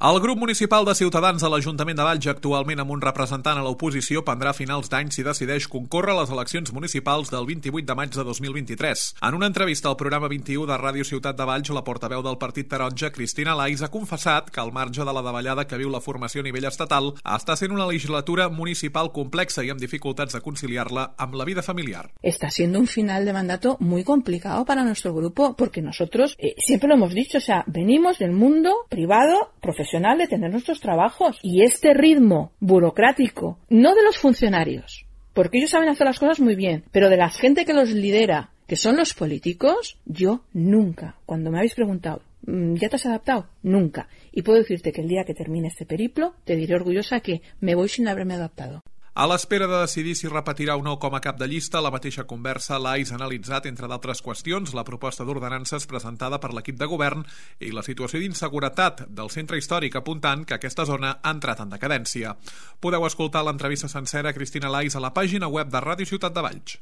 El grup municipal de Ciutadans a l'Ajuntament de Valls, actualment amb un representant a l'oposició, prendrà a finals d'any si decideix concórrer a les eleccions municipals del 28 de maig de 2023. En una entrevista al programa 21 de Ràdio Ciutat de Valls, la portaveu del Partit Taronja, Cristina Lais, ha confessat que al marge de la davallada que viu la formació a nivell estatal, està sent una legislatura municipal complexa i amb dificultats de conciliar-la amb la vida familiar. Está siendo un final de mandato muy complicado para nuestro grupo, porque nosotros siempre lo hemos dicho, o sea, venimos del mundo privado, profesional, de tener nuestros trabajos, y este ritmo burocrático, no de los funcionarios, porque ellos saben hacer las cosas muy bien, pero de la gente que los lidera, que son los políticos, yo nunca, cuando me habéis preguntado, ¿ya te has adaptado? Nunca. Y puedo decirte que el día que termine este periplo, te diré orgullosa que me voy sin haberme adaptado. A l'espera de decidir si repetirà o no com a cap de llista, a la mateixa conversa Lais ha analitzat, entre d'altres qüestions, la proposta d'ordenances presentada per l'equip de govern i la situació d'inseguretat del centre històric, apuntant que aquesta zona ha entrat en decadència. Podeu escoltar l'entrevista sencera a Cristina Lais a la pàgina web de Ràdio Ciutat de Valls.